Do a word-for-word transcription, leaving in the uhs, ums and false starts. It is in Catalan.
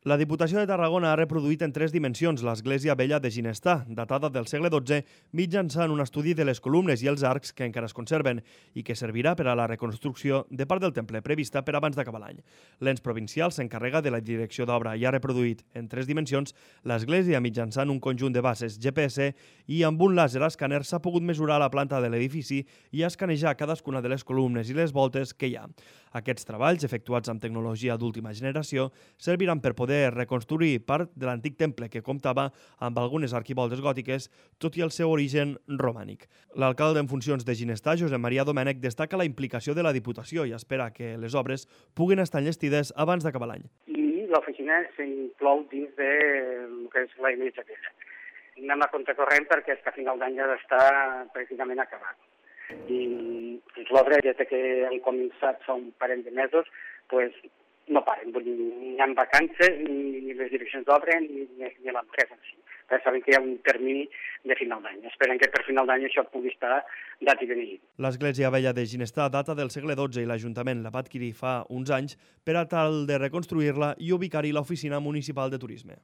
La Diputació de Tarragona ha reproduït en tres dimensions l'església vella de Ginestà, datada del segle dotze, mitjançant un estudi de les columnes i els arcs que encara es conserven i que servirà per a la reconstrucció de part del temple prevista per abans d'acabar l'any. L'ens provincial s'encarrega de la direcció d'obra i ha reproduït en tres dimensions l'església mitjançant un conjunt de bases G P S i amb un làser escàner s'ha pogut mesurar la planta de l'edifici i escanejar cadascuna de les columnes i les voltes que hi ha. Aquests treballs, efectuats amb tecnologia d'última generació, serviran per poder reconstruir part de l'antic temple que comptava amb algunes arquivoltes gòtiques, tot i el seu origen romànic. L'alcalde en funcions de Ginestà, Josep Maria Domènech, destaca la implicació de la Diputació i espera que les obres puguin estar enllestides abans d'acabar l'any. I l'oficina s'inclou dins de el que és la iglesia vella. Anem a contracorrent perquè a final d'any ha d'estar pràcticament acabat. I l'obra, des que han començat fa un parell de mesos, pues, no paren, vull dir, ni hi ha vacances, ni les direccions d'obra, ni, ni l'empresa en si. Però saben que hi ha un termini de final d'any. Esperen que per final d'any això pugui estar dat i beneït. L'església vella de Ginestà data del segle dotze i l'Ajuntament la va adquirir fa uns anys per a tal de reconstruir-la i ubicar-hi l'oficina municipal de turisme.